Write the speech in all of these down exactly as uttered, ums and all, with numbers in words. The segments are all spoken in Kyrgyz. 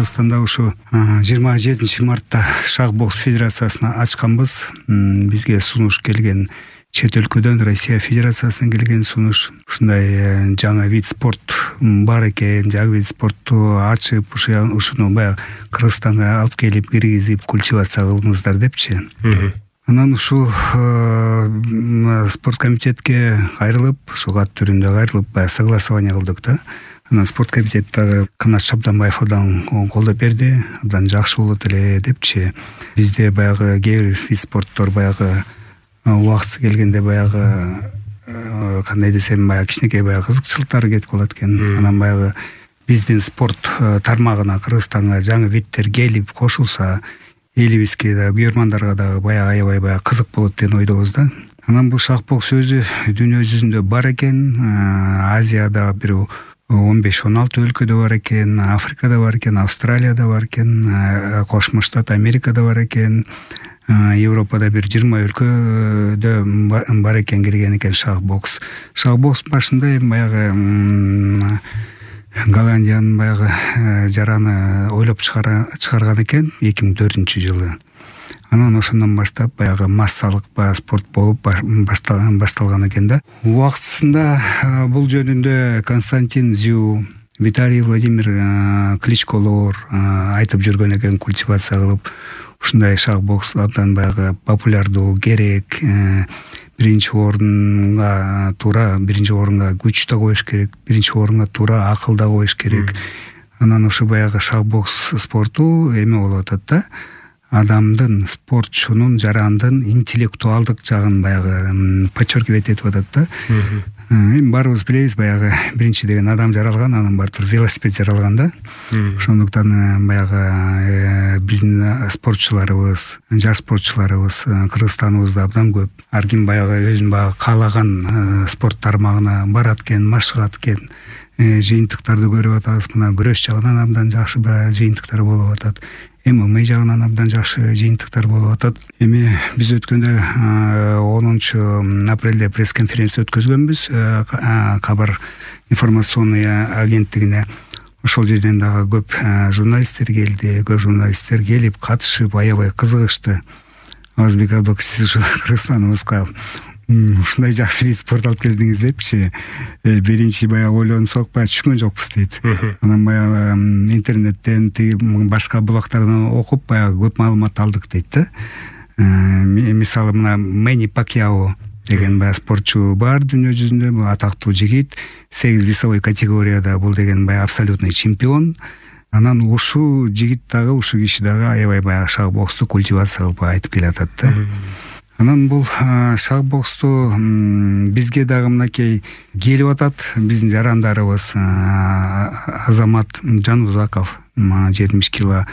Кыргызстанда ушу жыйырма жетинчи мартта шах бокс федерациясына ачканбыз. Бизге сунуш келген чет өлкөдөн, Россия Федерациясынан келген сунуш. Ушундай жаңы вид спорт бар экен, жаңы вид спортту ачып, ушуну баягы Кыргызстанга алып келип, киргизип, культивация кылыңыздар депчи. Анан ушул спорт комитетке кайрылып, ушул кат түрүндө кайрылып, баягы согласование кылдык да. Анан спорт комитеттагы Канат Шабданбаев абдан колдоп берди, абдан жакшы болот эле депчи. Бизде баягы кээ бир вид спорттор баягы убактысы келгенде баягы кандай десем, баягы кичинекей баягы кызыкчылыктары кетип калат экен. Анан баягы биздин спорт тармагына Кыргызстанга жаңы видтер келип кошулса, элибизге да, күйөрмандарга дагы баягы аябай баягы кызык болот деген ойдобуз да. Анан бул шах бокс өзү дүйнө жүзүндө бар экен. Азияда бир он беш он алты өлкөдө бар экен, Африкада бар экен, Австралияда бар экен, Кошмо Штат Америкада бар экен, Европада бир жыйырма өлкөдө бар экен, кирген экен шах бокс. Шах бокс башында эми баягы Голландиянын баягы жараны ойлоп чыгарган экен эки миң төртүнчү жылы. Анан ошондон баштап баягы массалык баягы спорт болуп башталган экен да. Убактысында бул жөнүндө Константин Зю, Виталий Владимир Кличколор айтып жүргөн экен, культивация кылып, ушундай шах бокс абдан баягы популярдуу, керек. Биринчи орунга туура, биринчи орунга күч да коюш керек, биринчи орунга туура акыл да коюш керек. Анан ушу баягы шах бокс спорту эме болуп атат да. Адамдын, спортчунун, жарандын интеллектуалдык жагын баягы подчеркивать этип атат да. Эми баарыбыз билебиз, баягы биринчи деген адам жаралган, анан баатыр велосипед жаралган да. Ошондуктан баягы биздин спортчуларыбыз, жаш спортчуларыбыз Кыргызстаныбызда абдан көп. Ар ким баягы өзүнүн баягы каалаган спорт тармагына барат экен, машыгат экен. Жыйынтыктарды көрүп атабыз. Мына күрөш жагынан абдан жакшы баягы жыйынтыктар болуп атат. ММА жагынан абдан жакшы жыйынтыктар болуп атат. Эми биз өткөндө онунчу апрелде пресс-конференция өткөзгөнбүз Кабар информационный агенттигине. Ошол жерден дагы көп журналисттер келди, көп журналисттер келип катышып аябай кызыгышты. Азбек Абдок, сиз Кыргызстаныбызга ушундай жакшы вид спорт алып келдиңиз депчи. Биринчи баягы ойлонсок, баягы түшкөн жокпуз дейт. Анан баягы интернеттен, башка блогтордон окуп, баягы көп маалымат алдык дейт да. Мисалы мына Мэнни Пакьяо деген баягы спортчу бар дүйнө жүзүндө, бул атактуу жигит, сегиз весовой категорияда бул деген баягы абсолютный чемпион. Анан ушу жигит дагы, ушу киши дагы аябай баягы шах боксту культивация кылып айтып келатат да. Анан бул шах боксту бизге дагы мынакей келип атат. Биздин жарандарыбыз Азамат Жанузаков, жетимиш кило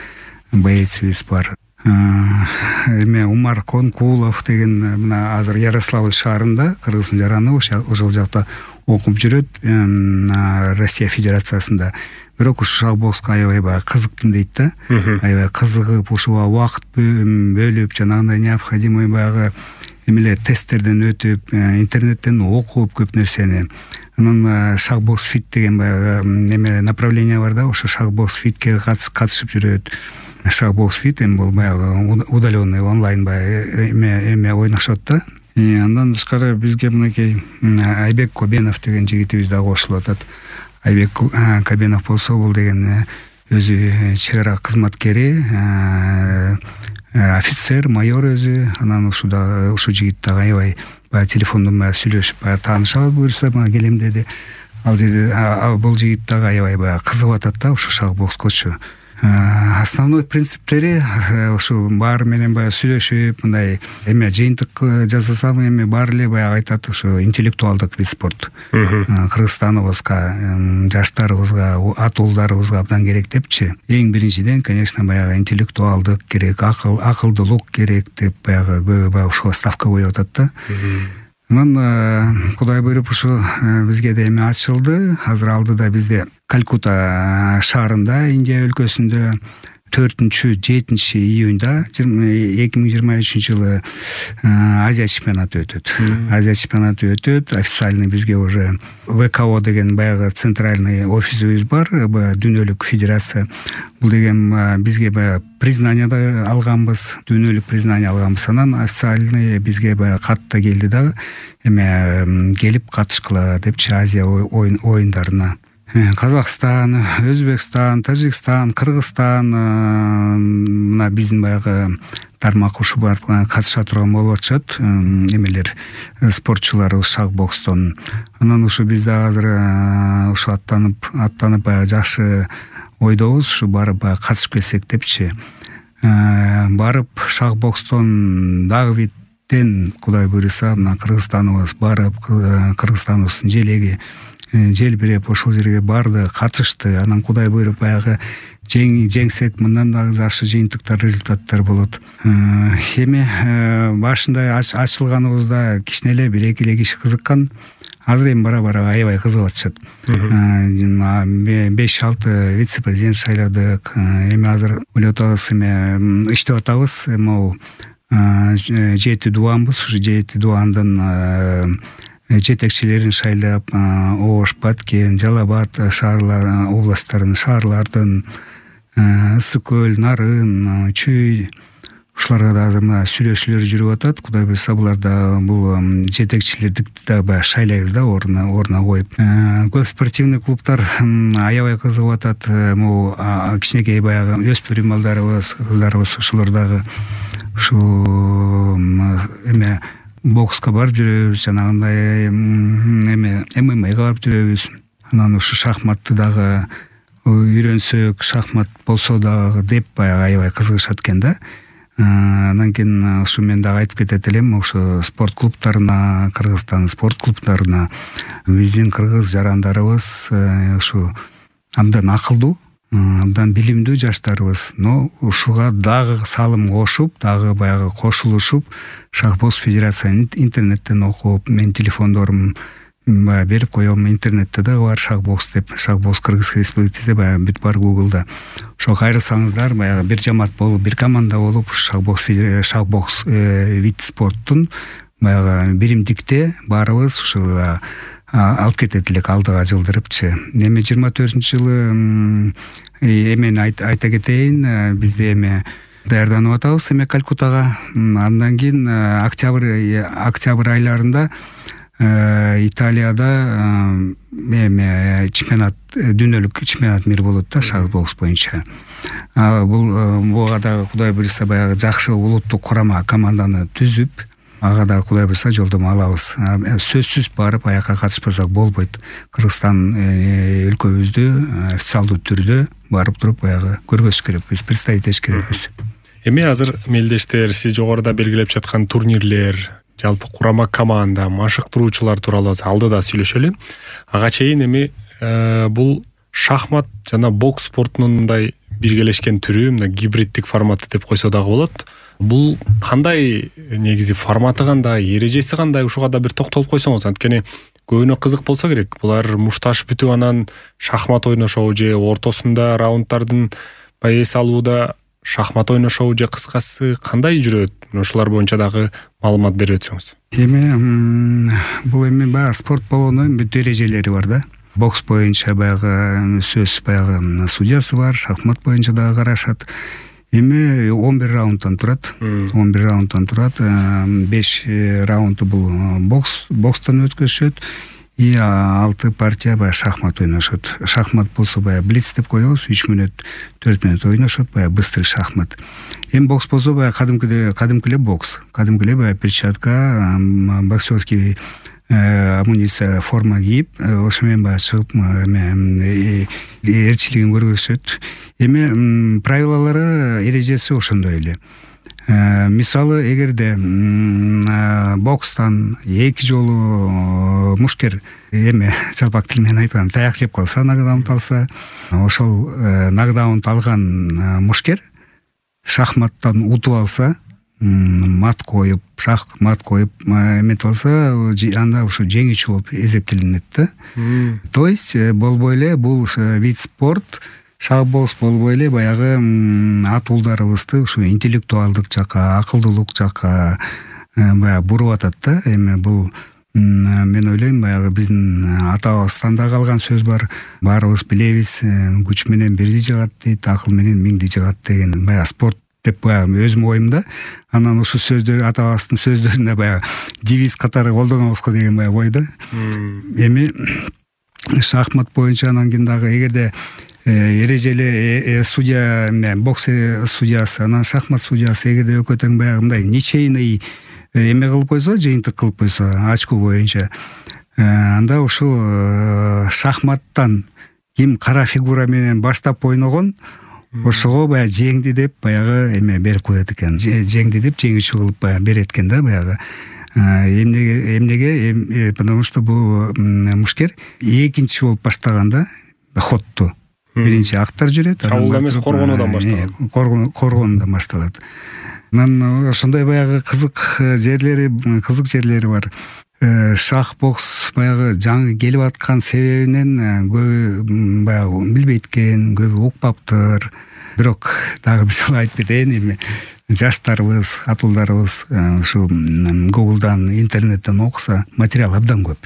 боецибиз бар. Эме Умар Конкулов деген мына азыр Ярославль шаарында Кыргыздын жараны ошол жакта окуп жүрөт, Россия Федерациясында. Бирок ушу шах бокска аябай баягы кызыктым дейт да. Аябай кызыгып, ушуга убакыт бөлүп, жанагындай необходимый баягы эмеле тесттерден өтүп, интернеттен окуп көп нерсени. Анан шах бокс фит деген баягы эме направление бар да, ошо шах бокс фитке катышып жүрөт. Шах бокс фит эми бул баягы удаленный онлайн баягы эме эме ойношот да. Андан тышкары бизге мынакей Айбек Кобенов деген жигитибиз дагы кошулуп атат. Айбек Кобенов болсо, бул деген өзү чек ара кызматкери, офицер, майор өзү. Анан ушуда ушу жигит дагы аябай баягы телефондон баягы сүйлөшүп, баягы таанышабыз буюрса мага келем деди. Ал жерде бул жигит дагы аябай баягы кызыгып атат да ушу шах бокскочу. Основной принциптери ушу баары менен баягы сүйлөшүп, мындай эме жыйынтык жасасам, эми баары эле баягы айтат, ушу интеллектуалдык вид спорт. Кыргызстаныбызга, жаштарыбызга, ата уулдарыбызга абдан керек депчи. Эң биринчиден, конечно, баягы интеллектуалдык керек, акыл, акылдуулук керек деп баягы көбү баягы ушуга ставка коюп атат да. Анан Кудай буйруп ушу бизге да эме ачылды. Азыр алдыда бизде Калькутта шаарында, Индия өлкөсүндө төртүнчү жетинчи июнда эки миң жыйырма үчүнчү жылы Азия чемпионаты өтөт. Азия чемпионаты өтөт. Официальный бизге уже ВКО деген баягы центральный офисибиз бар, дүйнөлүк федерация. Бул деген бизге баягы признание да алганбыз, дүйнөлүк признание алганбыз. Анан официальный бизге баягы кат да келди дагы, эме келип катышкыла депчи Азия оюндарына. Казакстан, Өзбекстан, Тажикстан, Кыргызстан мына биздин баягы тармак ушу бар катыша турган болуп атышат эмелер, спортчулар шаг бокстон. Анан ушу биз да азыр ушу аттанып аттанып баягы жакшы ойдобуз, ушу барып баягы катышып келсек депчи. Барып шаг бокстон дагы биттен Кудай буйруса мына Кыргызстаныбыз барып, Кыргызстаныбыздын желеги желбиреп ошол жерге барды, катышты. Анан Кудай буйруп баягы жеңсек мындан дагы жакшы жыйынтыктар, результаттар болот. Эми башында ачылганыбызда кичине эле бир эки эле киши кызыккан. Азыр эми бара-бара аябай кызыгып атышат. беш алты вице-президент шайладык. Эми азыр ойлоп атабыз, эми иштеп атабыз. Могу жети дубанбыз, ушу жети дубандын жетекчилерин шайлап, Ош, Баткен, Жалал Абад шаарлар, областтардын, шаарлардын, Ысык көл, Нарын, Чүй ушуларга да азыр мына сүйлөшүүлөр жүрүп атат. Кудай буйруса булар да бул жетекчилерди да баягы шайлайбыз да, ордуна ордуна коюп. Көп спортивный клубтар аябай кызыгып атат. Могу кичинекей баягы өспүрүм балдарыбыз, кыздарыбыз ушулар дагы ушу эме бокска барып жүрөбүз, жанагындай эме ММАга барып жүрөбүз. Анан ушу шахматты дагы үйрөнсөк, шахмат болсо дагы деп баягы аябай кызыгышат экен да. Анан кийин ушу мен дагы айтып кетет элем, ошо спорт клубтарына, Кыргызстан спорт клубтарына биздин кыргыз жарандарыбыз ушу абдан акылдуу, абдан билимдүү жаштарыбыз, но ушуга дагы салым кошуп, дагы баягы кошулушуп, шахбокс федерацияны интернеттен окуп, мен телефондорум баягы берип коем, интернетте дагы бар шахбокс деп, шахбокс Кыргыз Республикасы баягы бүт бар Гуглда. Ошо кайрылсаңыздар, баягы бир жамаат болуп, бир команда болуп, шахбокс шахбокс вид спорттун баягы биримдикте баарыбыз ушу алып кетет элек алдыга жылдырыпчы. Эми жыйырма төртүнчү жылы эмени айта кетейин, бизде эми даярданып атабыз эме Калькуттага. Андан кийин октябрь октябрь айларында Италияда эме чемпионат, дүйнөлүк чемпионат мир болот да шахбокс боюнча. Бул буга дагы Кудай буйруса баягы жакшы улуттук курама команданы түзүп, ага да Кудай буйруса жолдомо алабыз. Сөзсүз барып аякка катышпасак болбойт. Кыргызстан өлкөбүздү официалдуу түрдө барып туруп баягы көргөзүш керекпиз, представить этиш керекпиз. Эми азыр мелдештер, сиз жогоруда белгилеп жаткан турнирлер, жалпы курама команда, машыктыруучулар тууралуу алдыда сүйлөшөлү. Ага чейин эми бул шахмат жана бокс спортунун мындай биргелешкен түрү, мына гибриддик форматы деп койсо дагы болот. Бул кандай негизи форматы, кандай эрежеси, кандай ушуга да бир токтолуп койсоңуз, анткени көбүнө кызык болсо керек. Булар мушташ бүтүп анан шахмат ойношобу же ортосунда раунддардын эс алууда шахмат ойношобу же кыскасы кандай жүрөт? Ушулар боюнча дагы маалымат берип өтсөңүз. Эми бул эми баягы спорт болгондо бүт эрежелери бар да. Бокс боюнча баягы сөз баягы судьясы бар, шахмат боюнча дагы карашат. Эми он бир раундтан турат. он бир раундтан турат. беш раунду бул бокс, бокстан өткөзүшөт. И алты партия баягы шахмат ойношот. Шахмат болсо баягы блиц деп коебуз, үч мүнөт, төрт мүнөт ойношот, баягы быстрый шахмат. Эми бокс болсо баягы кадимкидей, кадимкиле бокс. Кадимкиле баягы перчатка, боксерский амуниция, форма кийип, ошо менен баягы чыгып эме эрчилигин көргөзүшөт. Эми правилалары, эрежеси ошондой эле. Мисалы, эгерде бокстан эки жолу мушкер эме жалпак тил менен айтканда таяк жеп калса, нокдаунт алса, ошол нокдаунт алган мушкер шахматтан утуп алса, мат коюп, шахмат коюп эметип алса, анда ушу жеңүүчү болуп эсептелинет да. То есть болбой эле бул вид спорт шах бокс болбой эле баягы атуулдарыбызды ушу интеллектуалдык жакка, акылдуулук жакка баягы буруп атат да. Эми бул мен ойлойм баягы биздин ата-бабабыздан да калган сөз бар. Баарыбыз билебиз, күч менен бирди жыгат дейт, акыл менен миңди жыгат деген баягы спорт деп баягы өзүм оюмда. Анан ушул сөздөр ата-бабабыздын сөздөрүндө баягы девиз катары колдонобузго деген баягы ой да. Эми шахмат боюнча анан кийин дагы эгерде эрежели судья, бокс судьясы, анан шахмат судьясы эгерде экөө тең баягы мындай ничейный эме кылып койсо, жыйынтык кылып койсо очко боюнча, анда ушул шахматтан ким кара фигура менен баштап ойногон ошого баягы жеңди деп баягы эме берип коет экен. Жеңди деп жеңүүчү кылып баягы берет экен да баягы. Эмнеге эмнеге потому что бул мушкер экинчи болуп баштаганда ходту биринчи актар жүрөт, чабуул эмес коргонуудан башталат. Коргонуудан башталат. Анан ошондой баягы кызык жерлери, кызык жерлери бар. Шах бокс баягы жаңы келип аткан себебинен көбү баягы билбейт экен, көбү укпаптыр. Бирок дагы бир жолу айтып кетейин, эми жаштарыбыз, атуулдарыбыз ушу Google'дан, интернеттен окуса материал абдан көп.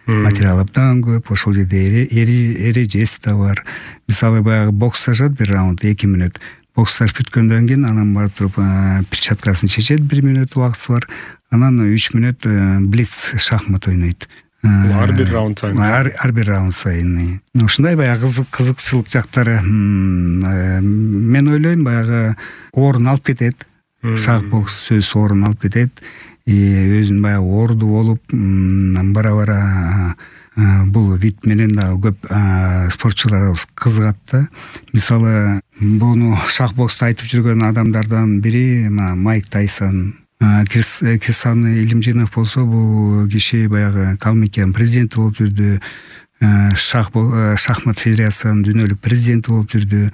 Материал абдан көп. Ошол жерде эрежеси да бар. Мисалы баягы боксташат бир раунд эки мүнөт. Боксташ бүткөндөн кийин анан барып туруп перчаткасын чечет, бир мүнөт убактысы бар. Анан үч мүнөт блиц шахмат ойнойт. Ар бир раунд сайын. Ар бир раунд сайын. Ушундай баягы кызык кызыкчылык жактары мен ойлойм баягы орун алып кетет. Шах бокс сөз орун алып кетет. Өзүн баягы орду болуп бара-бара бул вид менен дагы көп спортчуларыбыз кызыгат да. Мисалы буну шах боксту айтып жүргөн адамдардан бири Майк Тайсон, Кирсан Илимжинов болсо, бул киши баягы Калмыкиянын президенти болуп жүрдү. Шахмат федерациясынын дүйнөлүк президенти болуп жүрдү.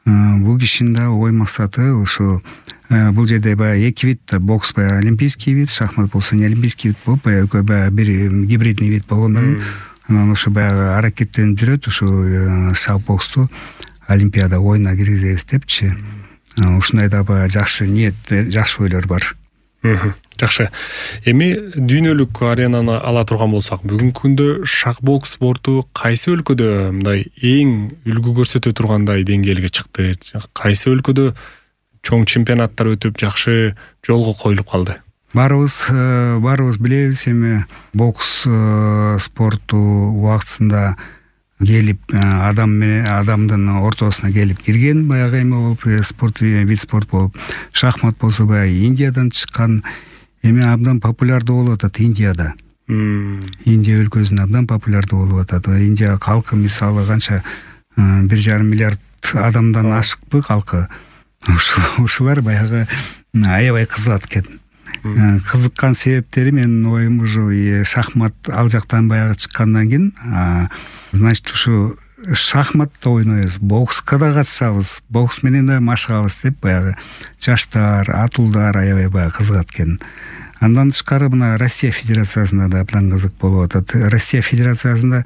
Бул кишинин да ой максаты ушу бул жерде баягы эки вид, бокс баягы олимпийский вид, шахмат болсо не олимпийский вид болуп, баягы экөө баягы бир гибридный вид болгондон кийин анан ошо баягы аракеттенип жүрөт, ушу шах боксту олимпиада оюна киргизебиз депчи. Ушундай да баягы жакшы ниет, жакшы ойлор бар. Жакшы. Эми дүйнөлүк аренаны ала турган болсак, бүгүнкү күндө шах бокс спорту кайсы өлкөдө мындай эң үлгү көрсөтө тургандай деңгээлге чыкты? Кайсы өлкөдө чоң чемпионаттар өтүп, жакшы жолго коюлуп калды? Баарыбыз баарыбыз билебиз, эми бокс спорту убактысында келип адам менен адамдын ортосуна келип кирген баягы эме болуп, спорт вид спорт болуп. Шахмат болсо баягы Индиядан чыккан, эми абдан популярдуу болуп атат Индияда. Индия өлкөсүндө абдан популярдуу болуп атат. Индия калкы мисалы канча бир жарым миллиард адамдан ашыкпы калкы. Ушулар баягы аябай кызыгат экен. Кызыккан себептери менин оюм ушу шахмат ал жактан баягы чыккандан кийин, значит ушу шахматта ойнойбуз, бокска да катышабыз, бокс менен да машыгабыз деп баягы жаштар, атуулдар аябай баягы кызыгат экен. Андан тышкары мына Россия Федерациясында да абдан кызык болуп атат. Россия Федерациясында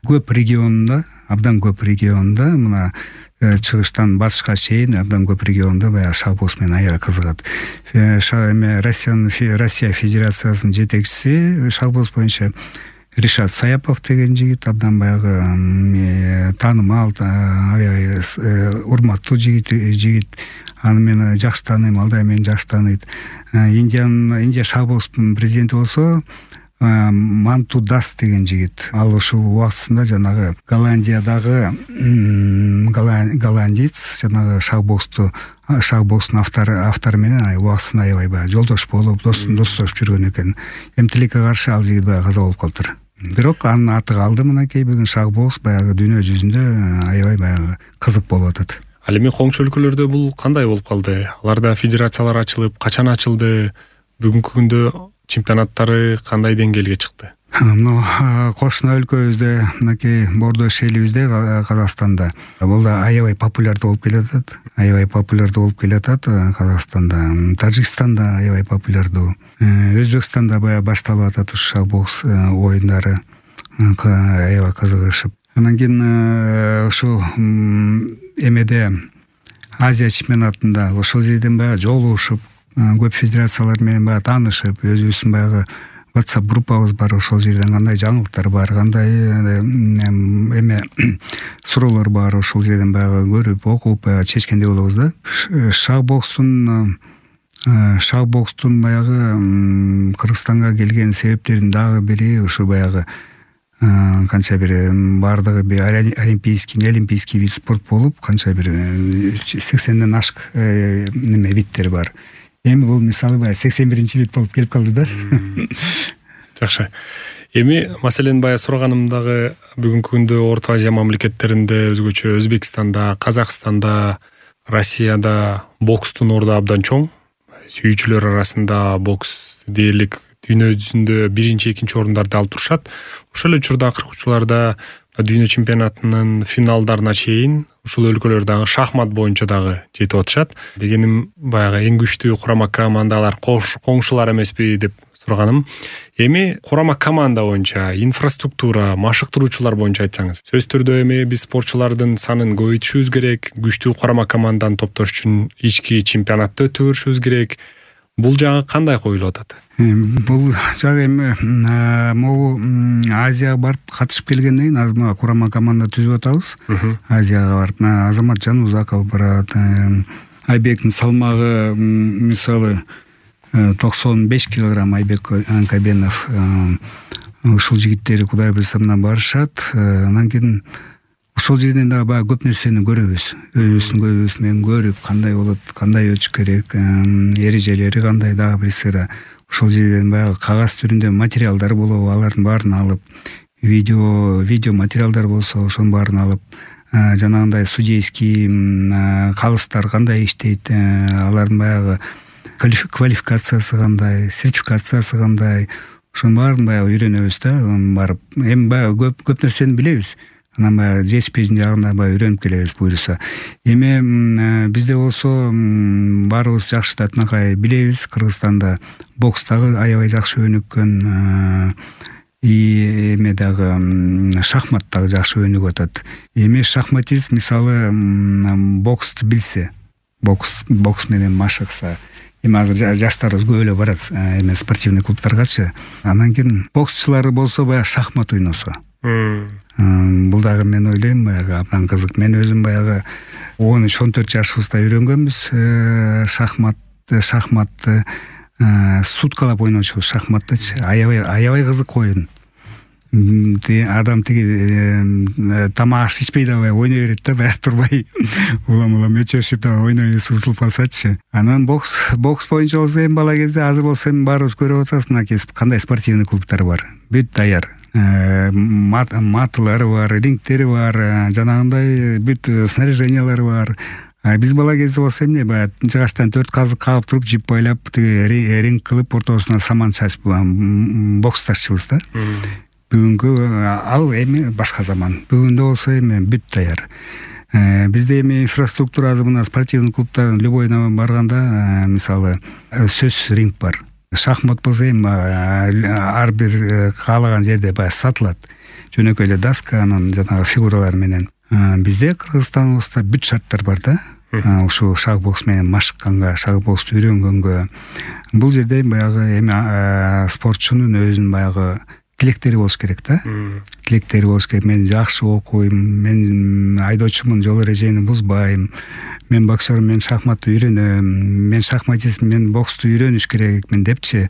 көп регионунда, абдан көп регионунда мына чыгыштан батышка чейин абдан көп регионунда баягы шах бокс менен аябай кызыгат. Россиянын Россия Федерациясынын жетекчиси шах бокс боюнча Ришат Саяпов деген жигит, абдан баягы таанымал, аябай урматтуу жигит, жигит. Аны мен жакшы тааныйм, ал да мени жакшы тааныйт. Индиянын Индия шах бокстун президенти болсо Манту Дас деген жигит. Ал ушул убактысында жанагы Голландиядагы голландиец жанагы шах боксту шах бокстун автору автору менен убактысында аябай баягы жолдош болуп, достошуп жүргөн экен. Эмтилекке каршы ал жигит баягы каза болуп калдыр. Бирок анын аты калды мынакей бүгүн шах бокс баягы дүйнө жүзүндө аябай баягы кызык болуп атат. Ал эми коңшу өлкөлөрдө бул кандай болуп калды? Аларда федерациялар ачылып, качан ачылды? Бүгүнкү күндө чемпионаттары кандай деңгээлге чыкты? Мына кошуна өлкөбүздө, мынакей бордош элибизде Казакстанда бул да аябай популярдуу болуп келатат. Аябай популярдуу болуп келатат Казакстанда. Тажикстанда аябай популярдуу. Өзбекстанда баягы башталып атат ушу шах бокс оюндары. Аябай кызыгышып. Анан кийин ушу эмеде Азия чемпионатында ошол жерден баягы жолугушуп, көп федерациялар менен баягы таанышып, өзүбүздүн баягы WhatsApp группабыз бар. Ошол жерден кандай жаңылыктар бар, кандай эме суроолор бар, ошол жерден баягы көрүп, окуп, баягы чечкендей болобуз да. Шах-бокстун шах-бокстун баягы Кыргызстанга келген себептердин дагы бири ушу баягы канча бир баардыгы бир олимпийский, не олимпийский вид спорт болуп, канча бир сексенден ашык неме видтер бар. Эми бул мисалы баягы сексен биринчи вид болуп келип калды да. Жакшы. Эми маселен баягы сураганымдагы бүгүнкү күндө Орто Азия мамлекеттеринде, өзгөчө Өзбекстанда, Казакстанда, Россияда бокстун орду абдан чоң. Сүйүүчүлөр арасында бокс дээрлик дүйнө жүзүндө биринчи, экинчи орундарды алып турушат. Ошол эле учурда акыркы учурларда дүйнө чемпионатынын финалдарына чейин ушул өлкөлөр дагы шахмат боюнча дагы жетип атышат. Дегеним баягы эң күчтүү курама командалар коңшулар эмеспи деп сураганым. Эми курама команда боюнча инфраструктура, машыктыруучулар боюнча айтсаңыз. Сөзсүз түрдө эми биз спортчулардын санын көбөйтүшүбүз керек, күчтүү курама команданы топтош үчүн ички чемпионатты өтө беришибиз керек. Бул жагы кандай коюлуп атат? Бул жагы эми могу Азияга барып катышып келгенден кийин азыр мага курама команда түзүп атабыз. Азияга барып Азамат Жанузаков барат, Айбектин салмагы мисалы токсон беш килограмм Айбек Анкабенов. Ушул жигиттер Кудай буйрса менен барышат. Анан кийин ошол жерден дагы баягы көп нерсени көрөбүз. Өзүбүздүн көзүбүз менен көрүп, кандай болот, кандай өтүш керек, эрежелери кандай дагы бир сыйра. Ошол жерден баягы кагаз түрүндө материалдар болобу, алардын баарын алып, видео видео материалдар болсо ошонун баарын алып, жанагындай судейский калыстар кандай иштейт, алардын баягы квалификациясы кандай, сертификациясы кандай, ошонун баарын баягы үйрөнөбүз да, барып. Эми баягы көп көп нерсени билебиз. Анан баягы жетишпейтин жагында баягы үйрөнүп келебиз буюрса. Эми бизде болсо баарыбыз жакшы да тынакай билебиз, Кыргызстанда бокс дагы аябай жакшы өнүккөн, и эме дагы шахмат дагы жакшы өнүгүп атат. Эми шахматист мисалы боксту билсе, бокс бокс менен машыкса, эми азыр жаштарыбыз көп эле барат эме спортивный клубтаргачы. Анан кийин боксчулар болсо баягы шахмат ойносо. Бул дагы мен ойлойм баягы абдан кызык. Мен өзүм баягы он үч он төрт жашыбызда үйрөнгөнбүз шахмат шахматты суткалап ойночубуз шахматтычы. Аябай аябай кызык оюн. Адам тиги тамак аш ичпей дагы ойной берет да, баягы турбай улам улам өчөшүп дагы ойной утулуп калсачы. Анан бокс бокс боюнча болсо эми бала кезде, азыр болсо эми баарыбыз көрүп атабыз, мынакей кандай спортивный клубтар бар. Бүт даяр. Матылары бар, рингтери бар, жанагындай бүт снаряжениялары бар. Биз бала кезде болсо эмне баягы жыгачтан төрт казык кагып туруп, жип байлап, тиги ринг кылып, ортосуна саман чачып боксташчыбыз да. Бүгүнкү ал эми башка заман. Бүгүндө болсо эми бүт даяр. Бизде эми инфраструктура азыр мына спортивный клубтардын любойуна барганда, мисалы, сөз ринг бар. Шахмат болсо эми ар бир каалаган жерде баягы сатылат. Жөнөкөй эле доска, анан жанагы фигуралар менен. Бизде Кыргызстаныбызда бүт шарттар бар да. Ушу шах-бокс менен машыкканга, шах-боксту үйрөнгөнгө. Бул жерде баягы эми спортчунун өзүнүн баягы тилектери болуш керек да. Тилектери болуш керек. Мен жакшы окуйм, мен айдоочумун, жол эрежени бузбайм. Мен боксер, мен шахматты үйрөнөм, мен шахматист, мен боксту үйрөнүш керекмин депчи.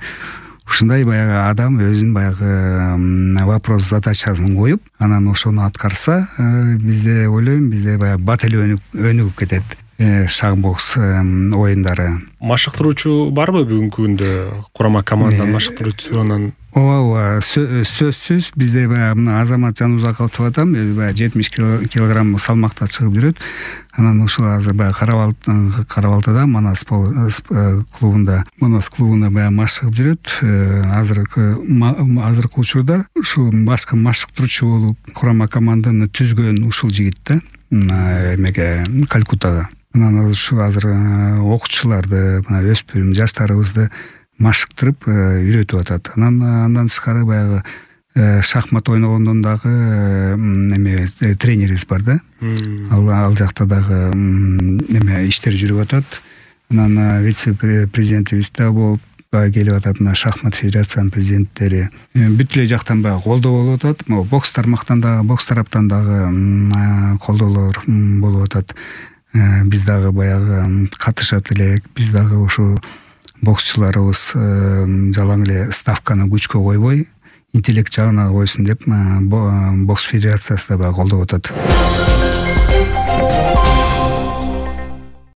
Ушундай баягы адам өзүнүн баягы вопрос задачасын коюп, анан ошону аткарса, бизде ойлойм, бизде баягы бат эле өнүгүп кетет шах-бокс оюндары. Машыктыруучу барбы бүгүнкү күндө? Курама команданын машыктыруучусу анан ооба ооба сөзсүз бизде баягы мына Азамат Жанузаков деп атам, өзү баягы жетимиш килограмм салмакта чыгып жүрөт. Анан ушул азыр баягы Карабалтада Манас клубунда, Манас клубунда баягы машыгып жүрөт. Азыркы азыркы учурда ушу башкы машыктыруучу болуп, курама команданы түзгөн ушул жигит да, эмеге Калькуттага. Анан ушу азыр окуучуларды, мына өспүрүм жаштарыбызды машыктырып үйрөтүп атат. Анан андан тышкары баягы шахмат ойногондон дагы эме тренерибиз бар да. Ал ал жакта дагы эме иштер жүрүп атат. Анан вице-президентибиз да болуп келип атат. Мына шахмат федерациянын президенттери бүт эле жактан баягы колдоо болуп атат. Могу бокс тармактан дагы, бокс тараптан дагы колдоолор болуп атат. Биз дагы баягы катышат элек. Биз дагы ошо боксчуларыбыз жалаң эле ставканы күчкө койбой, интеллект жагына койсун деп бокс федерациясы да баягы колдоп атат.